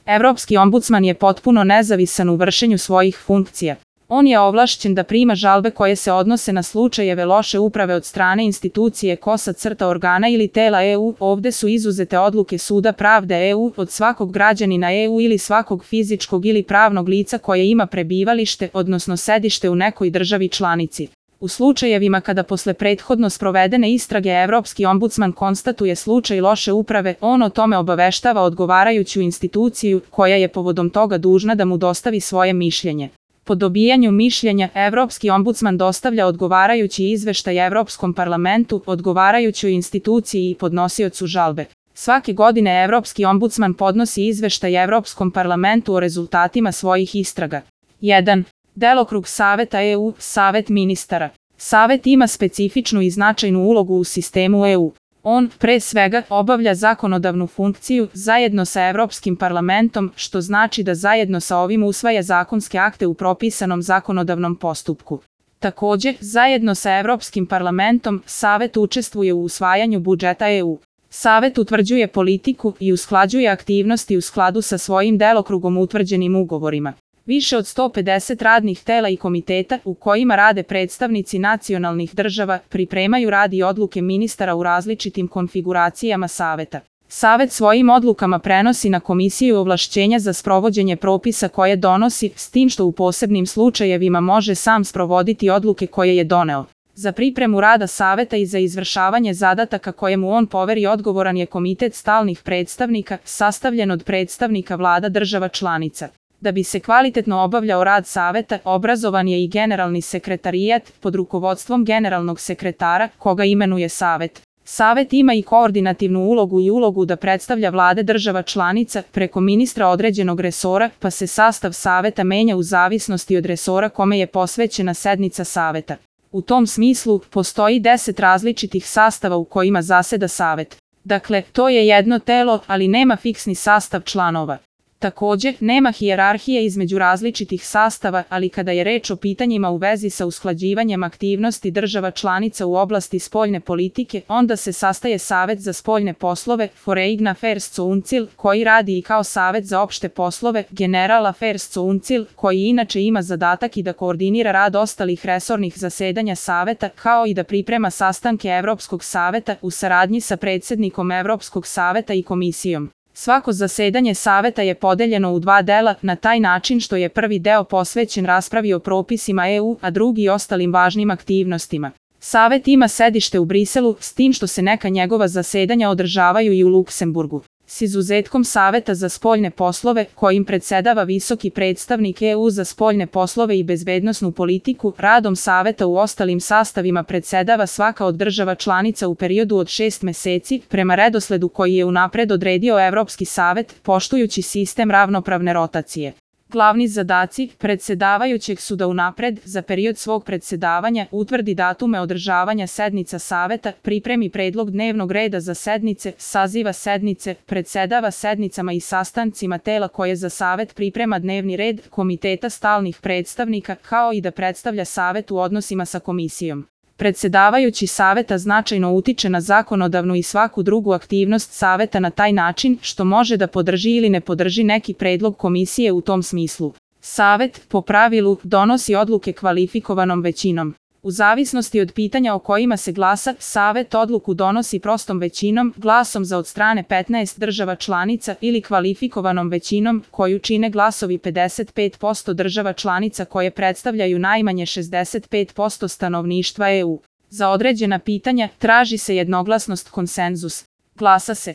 Evropski ombudsman je potpuno nezavisan u vršenju svojih funkcija. On je ovlašćen da prima žalbe koje se odnose na slučajeve loše uprave od strane institucije organa ili tela EU. Ovde su izuzete odluke Suda pravde EU od svakog građanina EU ili svakog fizičkog ili pravnog lica koje ima prebivalište, odnosno sedište u nekoj državi članici. U slučajevima kada posle prethodno sprovedene istrage Evropski ombudsman konstatuje slučaj loše uprave, on o tome obaveštava odgovarajuću instituciju koja je povodom toga dužna da mu dostavi svoje mišljenje. Po dobijanju mišljenja, Evropski ombudsman dostavlja odgovarajući izveštaj Evropskom parlamentu, odgovarajućoj instituciji i podnosiocu žalbe. Svake godine Evropski ombudsman podnosi izveštaj Evropskom parlamentu o rezultatima svojih istraga. 1. Delokrug Saveta EU, Savet ministara. Savet ima specifičnu i značajnu ulogu u sistemu EU. On, pre svega, obavlja zakonodavnu funkciju zajedno sa Evropskim parlamentom, što znači da zajedno sa ovim usvaja zakonske akte u propisanom zakonodavnom postupku. Takođe, zajedno sa Evropskim parlamentom, Savet učestvuje u usvajanju budžeta EU. Savet utvrđuje politiku i usklađuje aktivnosti u skladu sa svojim delokrugom utvrđenim ugovorima. Više od 150 radnih tela i komiteta u kojima rade predstavnici nacionalnih država pripremaju rad i odluke ministara u različitim konfiguracijama Saveta. Savet svojim odlukama prenosi na Komisiju ovlašćenja za sprovođenje propisa koje donosi, s tim što u posebnim slučajevima može sam sprovoditi odluke koje je doneo. Za pripremu rada Saveta i za izvršavanje zadataka koje mu on poveri odgovoran je Komitet stalnih predstavnika, sastavljen od predstavnika vlada država članica. Da bi se kvalitetno obavljao rad Saveta, obrazovan je i Generalni sekretarijat pod rukovodstvom generalnog sekretara, koga imenuje Savet. Savet ima i koordinativnu ulogu i ulogu da predstavlja vlade država članica preko ministra određenog resora, pa se sastav Saveta menja u zavisnosti od resora kome je posvećena sednica Saveta. U tom smislu, postoji 10 različitih sastava u kojima zaseda Savet. Dakle, to je jedno telo, ali nema fiksni sastav članova. Takođe, nema hijerarhije između različitih sastava, ali kada je reč o pitanjima u vezi sa usklađivanjem aktivnosti država članica u oblasti spoljne politike, onda se sastaje Savet za spoljne poslove, Foreign Affairs Council, koji radi i kao Savet za opšte poslove, General Affairs Council, koji inače ima zadatak i da koordinira rad ostalih resornih zasedanja Saveta, kao i da priprema sastanke Evropskog saveta u saradnji sa predsednikom Evropskog saveta i komisijom. Svako zasedanje Saveta je podeljeno u 2 dela, na taj način što je prvi deo posvećen raspravi o propisima EU, a drugi ostalim važnim aktivnostima. Savet ima sedište u Briselu, s tim što se neka njegova zasedanja održavaju i u Luksemburgu. S izuzetkom Saveta za spoljne poslove, kojim predsedava visoki predstavnik EU za spoljne poslove i bezbednosnu politiku, radom Saveta u ostalim sastavima predsedava svaka od država članica u periodu od 6 meseci, prema redosledu koji je unapred odredio Evropski savet, poštujući sistem ravnopravne rotacije. Glavni zadaci predsedavajućeg su da unapred, za period svog predsedavanja, utvrdi datume održavanja sednica Saveta, pripremi predlog dnevnog reda za sednice, saziva sednice, predsedava sednicama i sastancima tela koje za Savet priprema dnevni red, komiteta stalnih predstavnika, kao i da predstavlja Savet u odnosima sa komisijom. Predsedavajući Saveta značajno utiče na zakonodavnu i svaku drugu aktivnost Saveta na taj način što može da podrži ili ne podrži neki predlog komisije u tom smislu. Savet, po pravilu, donosi odluke kvalifikovanom većinom. U zavisnosti od pitanja o kojima se glasa, Savet odluku donosi prostom većinom, glasom za od strane 15 država članica ili kvalifikovanom većinom, koju čine glasovi 55% država članica koje predstavljaju najmanje 65% stanovništva EU. Za određena pitanja traži se jednoglasnost konsenzus. Glasa se.